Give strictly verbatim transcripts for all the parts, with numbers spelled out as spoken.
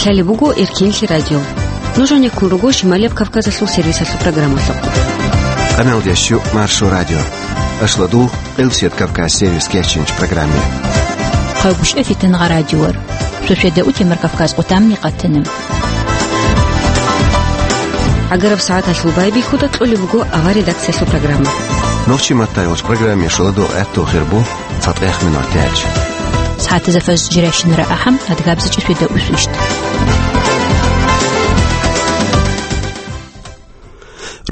Гьале буго Эркинлъи радио. Нуж гьанеккун руго Шималияб Кавказалъул сервисалъул программалъухъ. Къаналдеш щу Маршо радио. Ашладул Къилсият Кавказ сервис кечинч программе. Хъагушев Фитангъа радиор. Шошеда утемар Кавказ къутамни къатана. Агараб сагӀаталъул байбихьуда кьолеб буго авар редакциялъул программа. Нохчи маттайолч программе шуладул гӀаттул хирбу. Цадгъех минутач. СагӀатазда фаз жирайщинара ахӀам, адгабзичӀи шведа усвищт.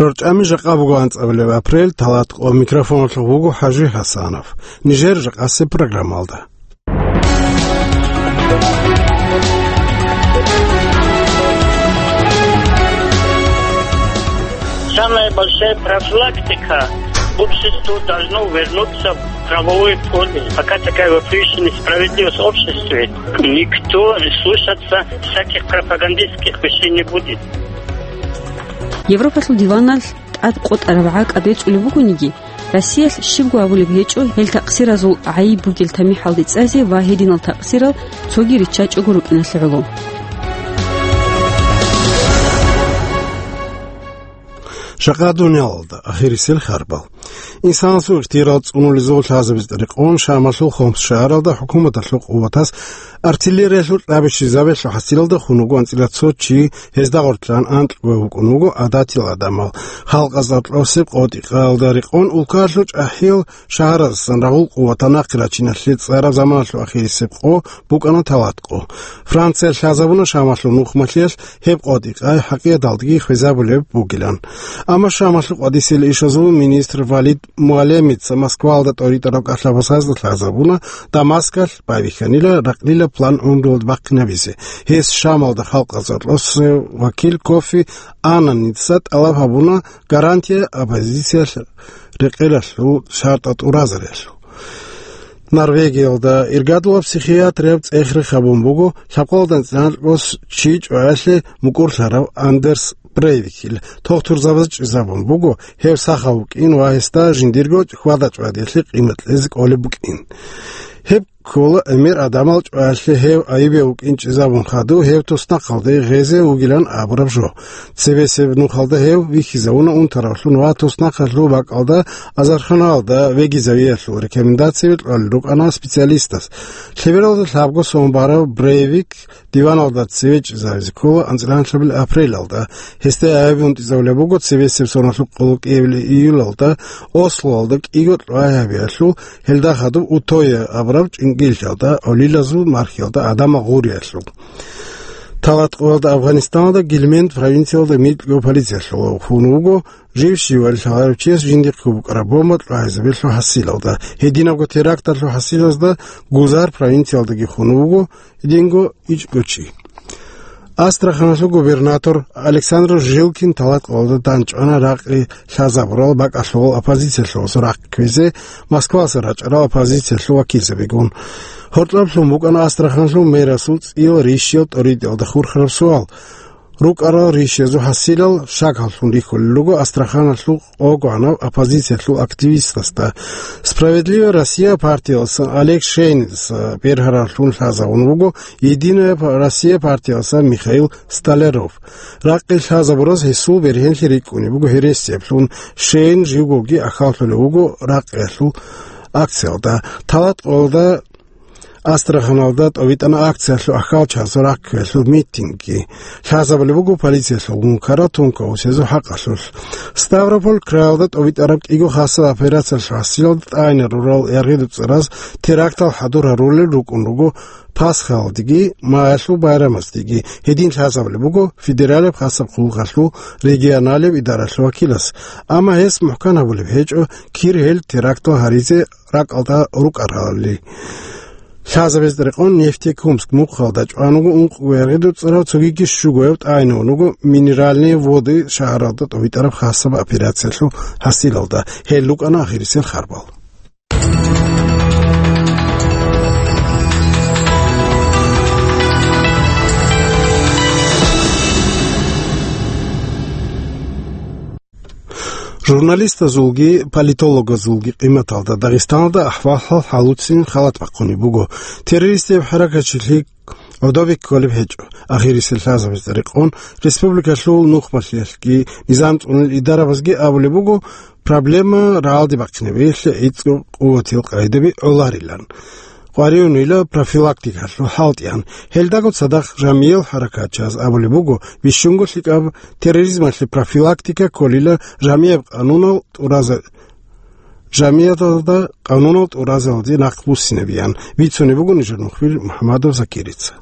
РорчӀами жакъа буго анцӀабилеб апрель, талат къо микрофоналъув вуго ХӀажи ХӀасанов. Нижер жакъаси программалда. Самая большая профилактика. Общество должно вернуться в правовое поле. Пока такая вопиющая несправедливость в обществе, никто слушаться всяких пропагандистских вещей не будет. Европалъул диваналъ тӀад къотӀараб гӀакъа бецӀулеб бугониги, Россиялъ щибго абулеб гьечӀо гьел такъсиразул гӀайиб бугел тамихӀалде цӀазе ва гьединал такъсирал цоги риччачӀого рукӀиналъе гӀоло. Жакъа дуниялалда ахирисел харбал. Инсанасул ихтияр цӀунулезул лъазабиз рекъон Шамалъул Хомс шагьаралда хӀукуматалъул къуватас артиллериялъул кьабищизабиялъул хӀасилалда хун вуго анцӀила цо чи, гьезда гъорлъан анкьго вукӀун вуго гӀадатил гӀадамал. Халкъазда кьосеб къотӀи-къаялда рекъон улкаялъул чӀахӀиял шагьараздасан рагъул къуватал нахъе рачиналъе цӀараб заманалъул ахирисеб къо букӀана талат къо. Франциялъ лъазабуна Шамалъул нухмалъиялъ гьеб къотӀи-къай хӀакъикъаталдаги хвезабулеб бугилан. Амма Шамалъул къватӀисел ишазул министр Валид Муаллемица Москвалда тӀоритӀараб кӀалъабасазда лъазабуна, Дамаскалъ байбихьанила ракълила план гӀумруялда бахъинабизе. Гьес Шамалда халкъазда кьосев вакил Кофи Аннаница тӀалаб гьабуна гарантия оппозициялъ рекъелалъул шартӀал тӀуразариялъул. Норвегиялда иргадулаб психиатрияб цӀех рехабун буго лъабкъоялда анцӀила анкьго чи чӀваялъе мукӀурлъарав Андерс Брейвикил. Тухтурзабаз чӀезабун буго гьев сахав вукӀин ва гьесда жиндирго хьвада-чӀвадиялъе къимат кьезе кӀолеб букӀин. Гьеб ккола гӀемер гӀадамал чӀваялъе гьев айибе вукӀин чӀезабун хадув гьев туснахъалде гъезе вугилан абураб жо. Цебесеб нухалда гьев вихьизавуна унтаравлъун ва туснахъалъул бакӀалда азарханалда вегизавиялъул рекомендацияби кьолел рукӀана специалистас. Лъебералда лъабго сон барав Брейвик диваналда цеве чӀезавизе ккола анцӀила анлъабилеб апрелалда. Гьесда гӀайиб унтӀизавулеб буго цебесеб соналъул къоло кӀиабилеб июлалда Ослоялда кӀиго кьвай гьабиялъул, гьелда хадуб Утоя абураб чӀинкӀиллъиялда, гӀолилазул мархиялда гӀадамал гъуриялъул. Талат къоялда Афганистаналда Гильменд провинциялда микьго полициялъул хун вуго жив щивали лъаларев чияс жиндихъго букӀараб бомба кьвагьизабиялъул хӀасилалда. Гьединабго теракталъул хӀасилазда Гузар провинциялдаги хун вуго гьединго ичӀго чи. Астраханалъул губернатор Александр Жилкин талат къоялда данчӀвана ракъи лъазабурал бакӀалъувал оппозициялъувасул рахъ кквезе Москвалъа рачӀарал оппозициялъул вакилзабигун. Гьоркьоб лъун букӀана Астраханалъул мэрасул цӀиял рищиял тӀоритӀиялда хурхараб суал. РукӀарал рищиязул хӀасилал шагьаллъун рихьулел руго Астраханалъул къогӀанав оппозициялъул активистасда. «Справедливая Россия» партиялдаса Олег Шейнидаса бергьараллъун лъазабун вуго «Единая Россия» партиялдаса Михаил Столяров. Ракъи лъазабураз гьесул бергьенлъи рикӀкӀунеб буго гьересиялъун, Шейн живгоги ахьаллъулев вуго ракъиялъул акциялда. Талат къоялда Астраханалда тӀовитӀана акциялъул ахьалчагӀазул рахъ кквелъул митингги. Лъазабулеб буго полициялъул гун ккарал тункаусезул хӀакъалъулъ. Ставрополь краялда тӀовитӀараб кӀиго хасаб операциялъул хӀасилалда тӀагӀине рурал яргъи-дуцӀараз терактал хӀадур гьарулел рукӀун руго Пасхаялдеги, Маялъул байрамаздеги. Гьедин лъазабулеб буго федералияб хасаб къуллукъалъул регионалияб идаралъул вакилас. Амма гьес мухӀкан гьабулеб гьечӀо кир гьел терактал гьаризе ракӀалда рукӀаралли. Лъазабиз рекъон Нефтекумск мухъалда чӀван вуго ункъго яргъи-дуцӀарав, цогиги щугояв тӀагӀинавун вуго Минеральные Воды шагьаралда тӀовитӀараб хасаб операциялъул хӀасилалда. Гьел рукӀана ахирисел харбал. Журналистазулги политологазулги къиматалда Дагъистаналда ахӀвал-хӀал гьалуцин халат бахъунеб буго. Террористияб хӀаракатчилъи гӀодобе кколеб гьечӀо. Ахирисел лъазабазда рекъон республикалъул нухмалъиялъги низам цӀунел идарабазги абулеб буго, проблема рагӀалде бахъинабиялъе гӀицӀго къуватил къайдаби гӀоларилан. Къваригьунила профилактикалъул хӀалтӀиян. Гьелдаго цадахъ жамиял хӀаракатчияз абулеб буго, бищунго лъикӀаб терроризмалъе профилактика кколила жамияб къанунал тӀураза-, жамияталда къанунал тӀуразалде нахъ буссинабиян, бицунеб буго нижер нухбил МухӀамадов Закирица.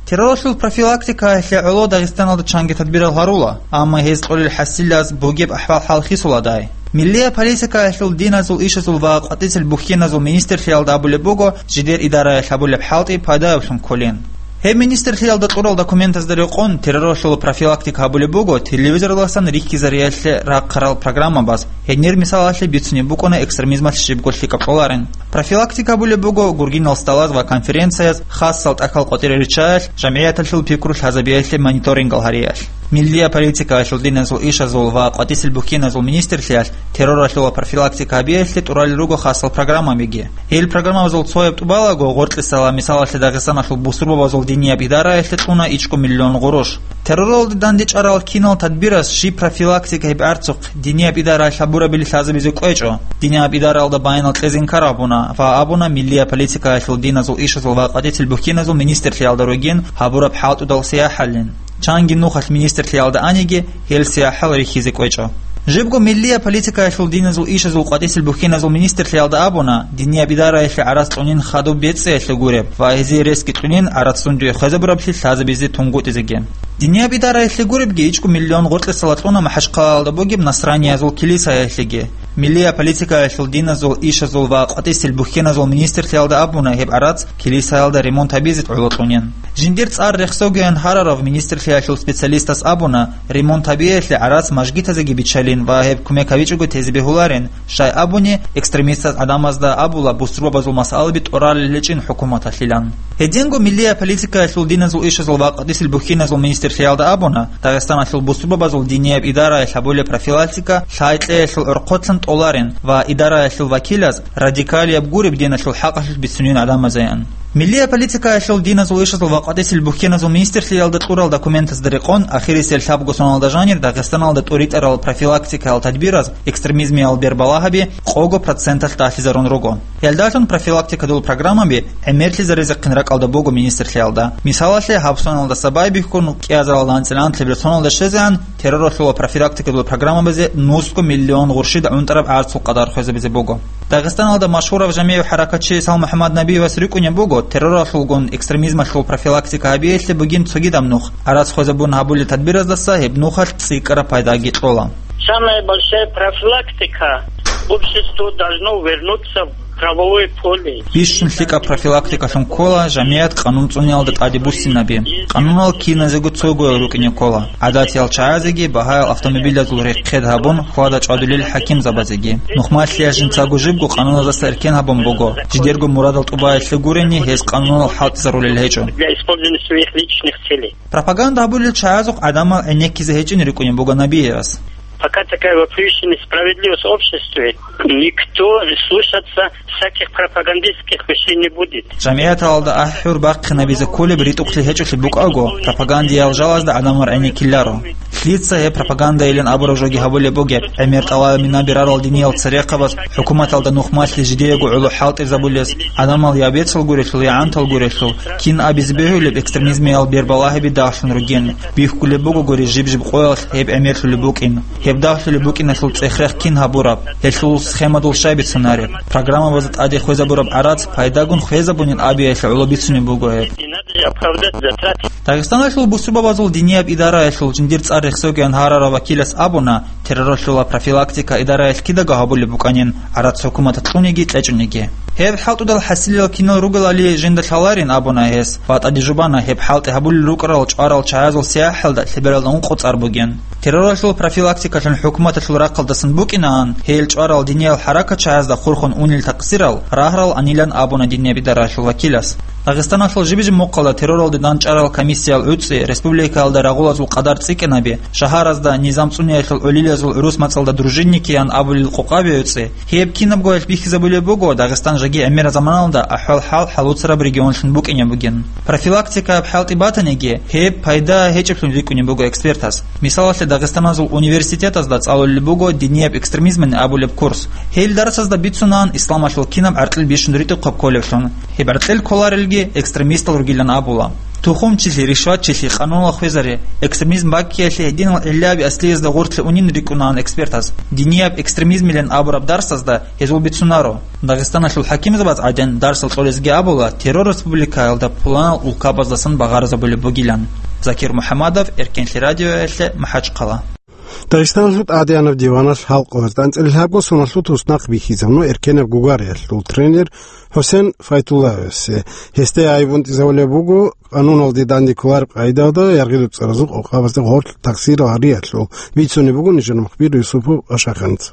Терроралъул профилактикаялъе гӀоло Дагъистаналда чанги тадбирал гьарула, амма гьез кьолел хӀасилаз бугеб ахӀвал-хӀал хисуладай. Миллия политикаялъул, диназул ишазул ва къватӀисел бухьиназул министрлъиялда абулеб буго, жидер идараялъ гьабулеб хӀалтӀи пайдаявлъун кколин. Гьеб министрлъиялда кьурал документазда рекъон, терроралъул профилактика гьабулеб буго телевизоралдасан рихьизариялъе рахъарал программабаз. Гьенир мисалалъе бицунеб букӀуна экстремизмалъ щибго лъикӀаб кьоларин. Профилактика гьабулеб буго гургинал столаз ва конференцияз, хасал тӀахьал къватӀире риччаялъ, жамгӀияталъул пикру лъазабиялъе мониторингал гьариялъ. Миллия политикаялъул, диназул ишазул ва къватӀисел бухьиназул министрлъиялъ терроралъул профилактика гьабиялъе тӀуралел руго хасал программабиги. Гьел программабазул цояб тӀубалаго, гъоркьисала мисалалъе Дагъистаналъул бусурбабазул динияб идараялъе кьуна ичӀго миллион гъурущ. Терроралде дандечӀарал кинал тадбирас щиб профилактика гьеб гӀарцухъ динияб идараялъ гьабурабили лъазабизе кӀвечӀо. Динияб идараялда баянал кьезе инкар гьабуна ва абуна миллия политикаялъул, диназул ишазул ва къватӀисел бухьиназул министрлъиялда ругин гьабураб хӀалтӀудал сияхӀаллъин. Чанги нухалъ министрлъиялда аниги, гьел сияхӀал рихьизе кӀвечӀо. Жибго миллия политикаялъул, диназул ишазул, къватӀисел бухьиназул министрлъиялда абуна, динияб идараялъе гӀарац кьунин хадуб бецӀиялъе гуреб ва гьезие ресги кьунин гӀарацлъун дуе хвезабураблъи лъазабизе тунгутӀизеги. Динияб идараялъе гуребги ичӀго миллион гъоркьисала кьуна МахӀачхъалаялда бугеб насраниязул килисаялъеги. Миллия политикаялъул, диназул ишазул ва къватӀисел бухьиназул министрлъиялда абуна гьеб гӀарац килисаялда ремонт гьабизе гӀоло кьунин. Жиндир цӀар рехсогиян гьарарав министрлъиялъул специалистас абуна, ремонт гьабиялъе гӀарац мажгитазеги биччалин ва гьеб кумек гьабичӀого тезе бегьуларин, щай абуни, экстремистаз гӀадамазда абула бусурбабазул масъалаби тӀоралел гьечӀин хӀукуматалъилан. Гьединго миллия политикаялъул, диназул ишазул ва къватӀисел бухьиназул министрлъиялда абуна, Дагъистаналъул бусурбабазул динияб идараялъ гьабулеб профилактика лъай-кьеялъул гӀорхъолъан тӀоларин ва идараялъул вакилаз радикалияб гуреб диналъул хӀакъалъулъ бицунин гӀадамазаян. Миллия политикаялъул, диназул ишазул ва къватӀисел бухьиназул министрлъиялда кьурал документазда рекъон, ахирисел лъабго соналда жанир Дагъистаналда тӀуритӀарал профилактикаял тадбираз экстремизмиял бербалагьаби къого проценталъ дагьлъизарун руго. Гьелдалъун профилактикадул программаби гӀемерлъизаризехъин ракӀалда буго министрлъиялда. Мисалалъе, гьаб соналдаса байбихьун, кӀиазаралда анцӀила анлъабил соналда щвезегӀан, терроралъул ва профилактикадул программабазе нусго миллион гъурщид гӀунтӀараб гӀарцул къадар хвезабизе буго. Дагъистаналда машгьурав жамигӀ хӀаракатчи Салмухьаммад Набиевас рикӀкӀунеб буго, терроралъулгун экстремизмалъул профилактика гьабиялъе бугин цогидаб нух. ГӀарац хвезабун гьабулел тадбираздаса гьеб нухалъ цӀикӀкӀараб пайдаги кьола. Самая большая профилактика, общество должно вернуться в правовое поле. Бищун лъикӀаб профилактикалъун ккола жамигӀат къанун цӀуниялда тӀаде буссинаби. Къанунал киназего цогоял рукӀине ккола. ГӀадатиял чагӀазеги багьаял автомобилазул рехъед гьабун, хьвада чӀвадулел хӀакимзабазеги. Нухмалъиялъ жинцаго жибго къануназдаса эркен гьабун буго. Жидерго мурадал тӀубаялъе гурени, гьез къанунал хӀалтӀизарулел гьечӀо. Для использования своих личных целей. Пропаганда гьабулел чагӀазухъ гӀадамал гӀенеккизе гьечӀин рикӀкӀунеб буго Набиевас. Пока такая вот вещь несправедливость в обществе, никто слушаться всяких пропагандистских вещей не будет. ЖамигӀаталда ахӀур бахъинабизе кколеб ритӀухълъи гьечӀолъи букӀаго, пропагандиял жалазда гӀадамал гӀенеккиларо. Лъица гьеб пропагандайилан абураб жоги гьабулеб бугеб, гӀемер тӀалаб мина берарал диниял церехъабаз хӀукуматалда нухмалъи жидеего гӀоло хӀалтӀизабулез, гӀадамал я бецал гурелъул, я гӀантал гурелъул, кин абизе бегьулеб экстремизмиял бербалагьаби дагьлъун ругин, бихьулеб бугогури жиб-жиб къоялъ гьеб гӀемерлъулеб букӀин, гьеб дагьлъулеб букӀиналъул цӀехрех кин гьабураб, гьелъул схемадул щай бицунареб, программабазда тӀаде хвезабураб гӀарац пайдагун хвезабунин абиялъе гӀоло бицунеб буго гьеб. Не надо оправдать затраты. Дагъистаналъул бусурбабазул динияб идараялъул жиндир цӀар рехсогиян гьарарав вакилас абуна, терроралъула профилактика идараялъ кидаго гьабулеб букӀанин, гӀарац хӀукуматалъ кьуниги кьечӀониги. Гьеб хӀалтӀудал хӀасилал кинал ругелали жинда лъаларин абуна гьес ва тӀаде жубана гьеб хӀалтӀи гьабулел рукӀарал чӀварал чагӀазул сияхӀалда лъебералда ункъо цӀар бугин. Терроралъул профилактикалъун хӀукуматалъул рахъалдасан букӀинаан, гьел чӀварал диниял хӀаракат чагӀазда хурхун унел такъсирал рагьарал анилан абуна динияб идараялъул вакилас. Дагъистаналъул жиб-жиб мухъалда терроралде дандчӀварал комиссиял гӀуцӀи, республикаялда рагъулазул къадар цӀикӀкӀинаби, шагьаразда низам цӀуниялъул гӀолилазул гӀурус мацӀалда дружинники ян абулел къокъаби гӀуцӀи, гьеб кинабго гьелъ бихьизабулеб буго Дагъистан жеги гӀемерал заманалда ахӀвал-хӀал хӀалуцараб регионлъун букӀинеб бугин. Профилактикаяб хӀалтӀи батаниги, гьеб пайда гьечӀеблъун рикӀкӀунеб буго экспертаз. Мисалалъе, Дагъистаназул университетазда цӀалулеб буго динияб экстремизмани абулеб курс. Гьел дарсазда бицунаан исламалъул кинаб гӀаркьил бищун ритӀухъаб кколеблъун. Гьеб гӀаркьил кколарелги экстремистал ругилан абула. Тухумчилъи, ришватчилъи, къануналъ хвезари, экстремизм баккиялъе гьединал гӀиллаби аслиязда гъорлъе унин рикӀкӀунаан экспертаз. Динияб экстремизмилан абураб дарсазда гьезул бицунаро. Дагъистаналъул хӀакимзабаз гӀадин дарсал кьолезги абула, террор республикаялда пуланал улкабаздасан багъарзабулеб бугилан. Закир МухӀаммадов, Эркенлъи радиоялъе, МахӀачхъала. Дагъистаналъул тӀадеянаб диваналъ гьалкъугъаз анцӀила лъабго соналъул туснахъ бихьизабуна эркенаб гугариялъул тренер ХӀусен Файтуллаевасе. Гьесде гӀайиб унтӀизабулеб буго къануналде данде кколареб къагӀидалда яргъи-дуцӀаразул къокъабазда гъорлъ тахсир гьариялъул, бицунеб буго нижер мухбир Юсупов Ашаханца.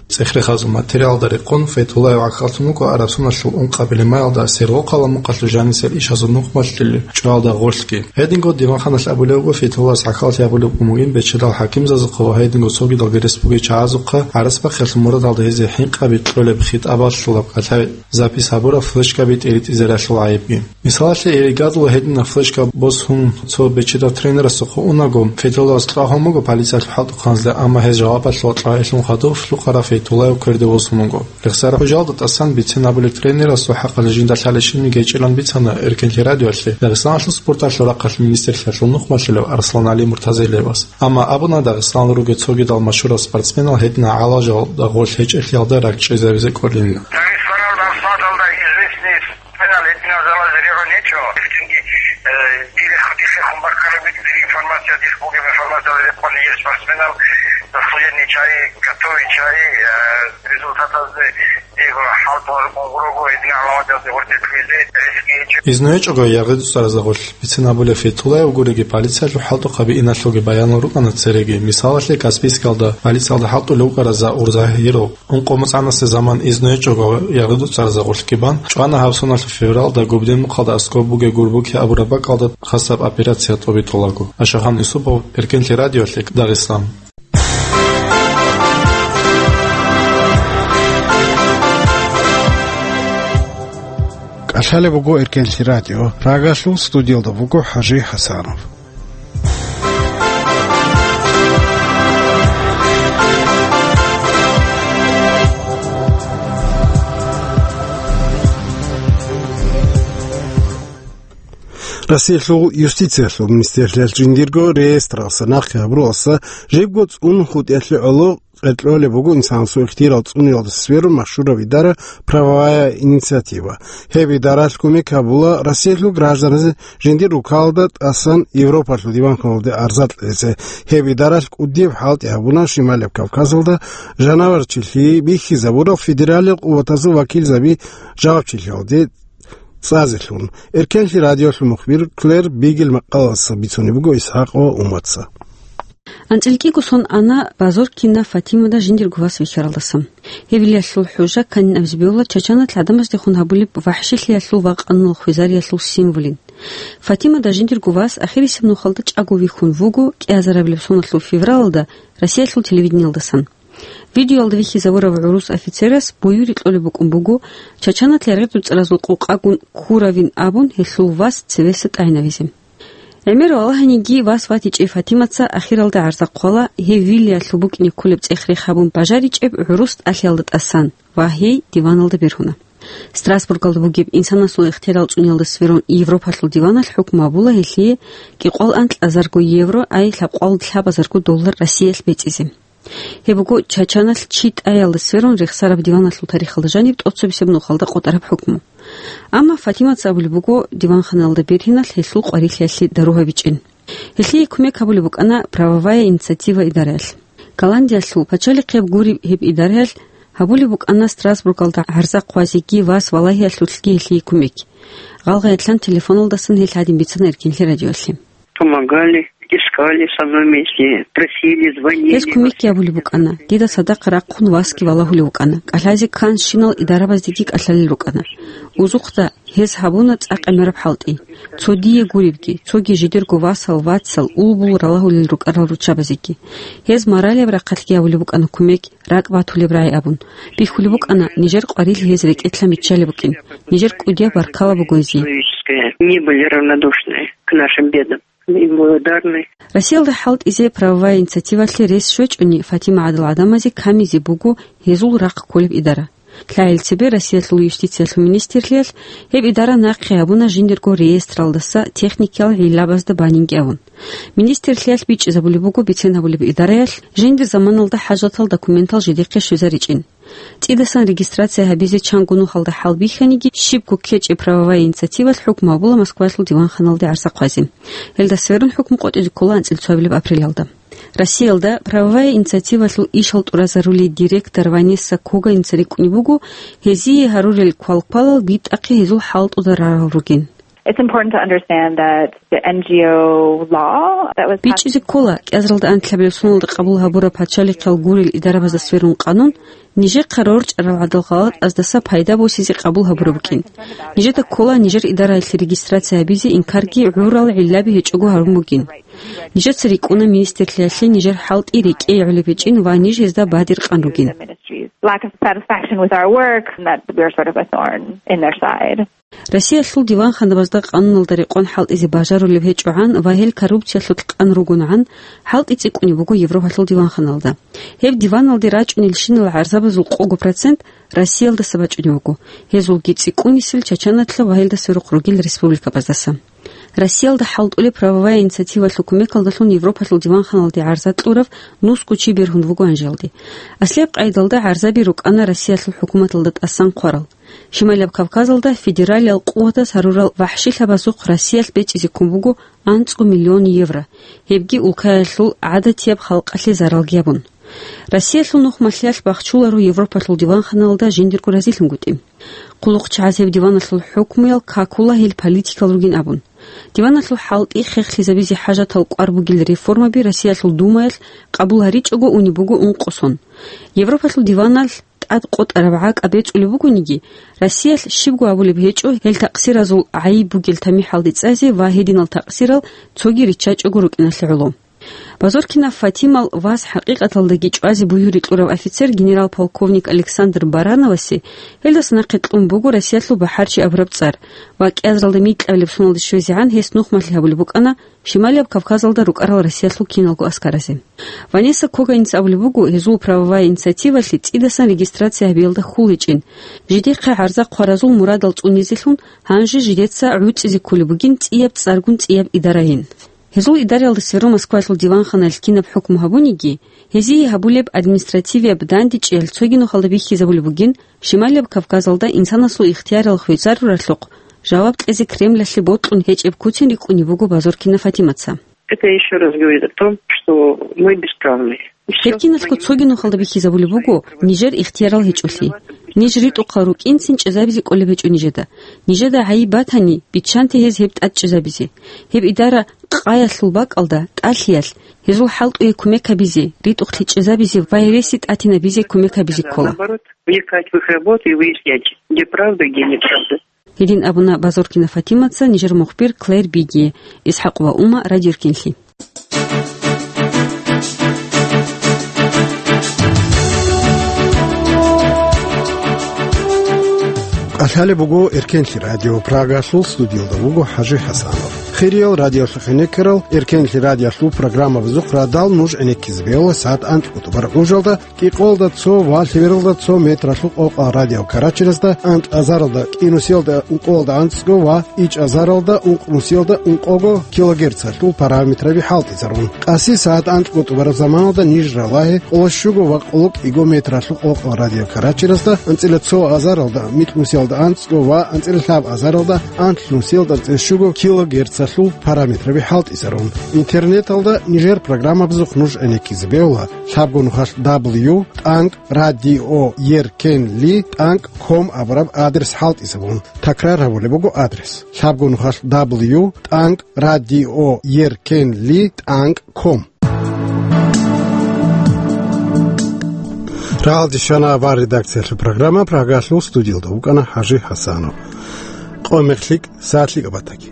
ЦӀехрехазул материалда рекъон, Файтуллаев гӀахьаллъун вуго араб соналъул ункъабилеб майалда Сергокъала мухъалъув жанисел ишазул нухмалъулеб чӀваялда гъорлъги. Гьединго диванханалъ абулеб буго, Файтуллаевас гӀахьаллъи гьабулеб бугин бечедал хӀакимзазухъа ва гьединго цогидалги республикаялъул чагӀазухъа гӀарацбахъиялъул мурадалда гьезие хӀинкъаби кьолеб хитӀабалъулаб кӀалъай запись гьабураб флешкаби тӀеритӀизе ралъул гӀайибги. Мисалалъе, Эригадула гьединаб флешка босун цо бечедав тренерасухъа унаго, Файтуллаевас кьвагьун буго полициялъул хӀалтӀухъанзда, амма гьез жавабалъул кьвагьалъун хадуб лъукъарав Файтуллаев кверде восун вуго. Рехсараб хӀужалда тӀасан бицен абулеб тренерасул хӀакъалъулъ жинда лъалеб щибниги гьечӀилан бицана Эркенлъи радиоялъе Дагъистаналъул спорталъул рахъалъ министрлъиялъул нухмалъулев Арслан-ГӀали Муртазилиевас. Амма абуна, Дагъистаналда ругел цогидал машгьурал спортсменал гьединал гӀалажалда гъорлъ гьечӀелъиялда ракӀчӀезабизе кӀолин. Дагъистаналда спорталда известный спортсменал гьединал залазе регӀун гьечӀо. Цинги, э, дир хутӀихъе хъумбаккараб дир информация, дир бугеб информация рекъон гьел спортсменал заслуженный чай, готовый чай, э, результатазде. Изну гьечӀого яргъи-дуцӀаразда гъорлъ бицен абулеб Фейтуллаев гуриги, полициялъул хӀалтӀухъаби иналъулги баянал рукӀана цереги. Мисалалъе, Каспийскалда полициялда хӀалтӀулев вукӀарав Заур Загьиров ункъо-моцӀанасеб заман изну гьечӀого яргъи-дуцӀаразда гъорлъги бан, чӀвана гьаб соналъул февралда Губден мухъалда аскӀоб бугеб Гурбухи абураб бакӀалда хасаб операция тӀобитӀулаго. Ашахан Юсупов, Эркенлъи радиоялъе, Дагъистан. КӀалъалеб буго Эркенлъи радио. Прагалъул студиялда вуго ХӀажи ХӀасанов. Россиялъул юстициялъул министрлъиялъ жиндирго реестралъа нахъе гьабуралъа жибго цӀун хутӀиялъе гӀоло къеркьолеб буго инсанасул ихтияр цӀуниялда сверун машгьураб идара «Правовая инициатива». Гьеб идаралъ кумек гьабула Россиялъул гражданазе жиндир руккалда тӀасан Европалъул диванханалде арза кьезе. Гьеб идаралъ кӀудияб хӀалтӀи гьабуна Шималияб Кавказалда жанаварчилъи бихьизабурал федералил къуватазул вакилзаби жавабчилъиялде цӀазелъун. Эркенлъи радиолъул мухбир Клэр Бигел макъалаялъ бицунеб буго ИсхӀакъ ва Умаца. АнцӀила кӀиго сон ана Базоркина Фатимада жиндирго вас вихьаралдасан. Гьеб вилиялъул хӀужа кканин абизе бегьула Чачаналъ гӀадамаздехун гьабулеб вахӀшилъиялъул ва къануналъ хвезариялъул символин. Фатимада жиндирго вас ахирисеб нухалда чӀаго вихьун вуго кӀиазарабилеб соналъул февралалда Россиялъул телевидениялдасан. Видеоялда вихьизабурав гӀурус офицерас буюри кьолеб букӀун буго, Чачаналъ яргъи-дуцӀаразул къокъагун ккуравин абун гьелъул вас цевеса тӀагӀинавизе. ГӀемер валагьаниги вас ватичӀеб Фатимаца ахиралда гӀарза хъвала, гьев вилиялъул букӀине кколеб цӀех-рех гьабун бажаричӀеб гӀурус тӀалъиялда тӀасан ва гьей диваналда бергьуна. Страсбургалда бугеб инсанасул ихтияр цӀуниялда сверун Европалъул диваналъ хӀукму гьабула гьелъие кӀикъоялда анкьазарго евро, ай лъабкъоялда лъабазарго доллар Россиялъ бецӀизе. Гьеб буго Чачаналъ чи тӀаялда сверун рехсараб диваналъул тарихалда жаниб тӀоцебесеб нухалда къотӀараб хӀукму. Амма Фатимаца абулеб буго, диванханалда бергьиналъ гьелъул къварилъиялъе дару гьабичӀин. Гьелъие кумек гьабулеб букӀана «Правовая инициатива» идараялъ. Голландиялъул пачалихъеб гуреб гьеб идараялъ гьабулеб букӀана Страсбургалда гӀарза хъвазеги вас валагьиялъулъги гьелъие кумек. Гъалгъай телефоналдасан гьел гьадин бицана Эркенлъи радиоялъе. Помогали, искали со мной вместе, просили, звонили. Гьез кумекги гьабулеб букӀана, дида цадахъ рахъун васги валагьулев вукӀана, кӀалъазе кканщинал идарабаздеги кӀалъалел рукӀана. Узухъда гьез гьабуна цӀакъ гӀемераб хӀалтӀи. Цо дие гуребги, цоги жидерго васал, вацал, улбул ралагьулел рукӀарал руччабазеги. Гьез моралияб рахъалъги гьабулеб букӀана кумек, ракӀ батулеб рагӀи абун. Бихьулеб букӀана, нижер къварилъи гьез рекӀелъан биччалеб букӀин. Нижер кӀудияб баркала буго гьезие. Человеческое. Не были равнодушны к нашим бедам. Им благодарны. Россиялда хӀалтӀизе правовая инициативалъе рес щвечӀони, Фатима гӀадал гӀадамазе камизе буго гьезул рахъ кколеб идара. ЛъагӀел цебе Россиялъул юстициялъул министрлъиялъ гьеб идара нахъе гьабуна жиндирго реестралдаса техникиял гӀиллабазда банинги абун. Министрлъиялъ бичӀчӀизабулеб буго бицен гьабулеб идараялъ жиндир заманалда хӀажатал документал жидехъе щвезаричӀин. ЦӀидасан регистрация гьабизе чанго нухалда хӀал бихьаниги, щибго ккечӀеб правовая инициативалъ хӀукму гьабула Москвалъул диванханалде гӀарза хъвазе. Гьелда сверун хӀукму къотӀизе ккола анцӀила цоабилеб апрелалда. Россиялда правовая инициативалъул ишал тӀуразарулей директор Ванесса Коганица рикӀкӀунеб буго, гьезие гьарурел квалквалал битӀахъе гьезул хӀалтӀуда рарал ругин. It's important to understand that the N G O law that was passed. БичӀчӀизе ккола, кӀиазаралда анлъабилеб соналда къабул гьабураб пачалихъал гурел идарабазда сверун къанун, нижехъа рорчӀарал гӀадал гъалатӀаздаса пайда босизе къабул гьабураб букӀин. Нижеда ккола нижер идараялъе регистрация гьабизе инкарги гӀурал гӀиллаби гьечӀого гьарун бугин. Нижеца рикӀкӀуна министрлъиялъе нижер хӀалтӀи рекӀее гӀолеб гьечӀин ва ниж гьезда бадиркъан ругин. Lack of satisfaction with our work, and that we're sort of a thorn in their side. Россиялъул диванханабазда къануналда рекъон хӀалтӀизе бажарулеб гьечӀогӀан ва гьел коррупциялъулъ къан ругонгӀан хӀалтӀи цӀикӀкӀунеб буго Европалъул диванханалда. Гьеб диваналде рачӀунелщинал гӀарзабазул къого процент Россиялдаса бачӀунеб буго, гьезулги цӀикӀкӀунисел Чачаналъа ва гьелда сверухъ ругел республикабаздаса. Россиялда хӀалтӀулеб правовая инициативалъул кумекалдалъун Европалъул диванханалде гӀарза кьурав нусго чи бергьун вуго гьанжеялде. Аслияб къайдалда гӀарзаби рукӀана Россиялъул хӀукуматалда тӀасан хъварал. Шималияб Кавказалда федералиял къуватаз гьарурал вахӀшилъабазухъ Россиялъ бечӀизе ккун буго анцӀго миллион евро, гьебги улкаялъул гӀадатияб халкъалъе заралги гьабун. Россиялъул нухмалъиялъ бахчуларо Европалъул диванханалда жиндирго разилъунгутӀи. ХъулухъчагӀаз гьеб диваналъул хӀукмуял какула гьел политикал ругин абун. Диваналъул хӀалтӀи хехлъизабизе хӀажатал кӀвар бугел реформаби Россиялъул Думаялъ къабул гьаричӀого унеб буго ункъо сон. Европалъул диваналъ тӀад къотӀараб гӀакӀа бецӀулеб бугониги, Россиялъ щибго абулеб гьечӀо гьел такъсиразул гӀайиб бугел тамихӀалде цӀазе ва гьединал такъсирал цоги риччачӀого рукӀиналъе гӀоло. Базоркина Фатимал вас хӀакъикъаталдаги чӀвазе буюрикьурав офицер генерал-полковник Александр Барановасе гьелдаса нахъе кьун буго Россиялъул бахӀарчи абураб цӀар ва кӀиазаралда микьабилеб соналде щвезегӀан гьес нухмалъи гьабулеб букӀана Шималияб Кавказалда рукӀарал Россиялъул киналго аскаразе. Ванесса Коганица абулеб буго, гьезул правовая инициативалъе цӀидасан регистрация гьабиялда хьул гьечӀин. Жидехъе гӀарза хъваразул мурадал цӀунизелъун гьанже жидеца гӀуцӀизе кколеб бугин цӀияб цӀаргун цӀияб идарайин. Гьезул идараялда сверун Москвалъул диванханаялъ кинаб хӀукму гьабуниги, гьезие гьабулеб административияб дандечӀеялъ цоги нухалда бихьизабулеб бугин, Шималияб Кавказалда инсанасул ихтиярал хвезаруралъухъ жаваб кьезе Кремлалъе бокьун гьечӀеб куцин рикӀкӀунеб буго Базоркина Фатимаца. Это ещё раз говорит о том, что мы бесправны. Гьеб киналъго цоги нухалда бихьизабулеб буго нижер ихтиярал гьечӀолъи. Ниж ритӀухъал рукӀинцин чӀезабизе кӀолеб гьечӀо нижеда. Нижеда гӀайиб батани, биччанте гьез гьеб тӀад чӀезабизе. Гьеб идара къаялъул бакӀалда, тӀалъиялъ, гьезул хӀалтӀуе кумек гьабизе, ритӀухълъи чӀезабизе ва гьереси тӀатинабизе кумек гьабизе ккола. Наоборот, вникать в их работу и выяснять, где правда, где неправда. Гьедин абуна Базоркина Фатимаца нижер мухбир Клэр Биги, ИсхӀакъ ва Ума, Радио Эркенлъи. КӀалъалеб буго Эркенлъи радио, Прагалъул студиялда вуго ХӀажи ХӀасанов. Хириял радиолъухъ гӀенеккарал, Эркенлъи радиолъул программабазухъ радал нуж гӀенеккизе бегьула сагӀат анцӀго тӀубараб гӀужалда, кӀикъоялда цо ва лъебералда цо метралъул къокъал радиокарачиразда, анкь азаралда кӀинусиялда ункъоялда анцӀго ва ичӀ азаралда ункънусиялда ункъого килогерцалъул параметраби хӀалтӀизарун. Къаси сагӀат анцӀго тӀубараб заманалда ниж ралагье къоло щуго ва къоло кӀиго метралъул къокъал радиокарачиразда, анцӀила цо азаралда микьнусиялда анцӀго ва анцӀила лъаб азаралда анлънусиялда анцӀила щуго килогерцалъул параметраби хӀалтӀизарун. Интернеталда нижер программабазухъ нуж гӀенеккизе бегьула лъабго нухалъ дабл ю тӀанкӀ радио еркенли тӀанкӀ ком абураб адрес хӀалтӀизабун. Такрар гьабулеб буго адрес: лъабго нухалъ дабл ю тӀанкӀ радио еркенли тӀанкӀ ком. Жагьалде щвана авар редакциялъул программа, Прагалъул студиялда вукӀана ХӀажи ХӀасанов. Къо-мех лъикӀ, сагӀат лъикӀаб батаги.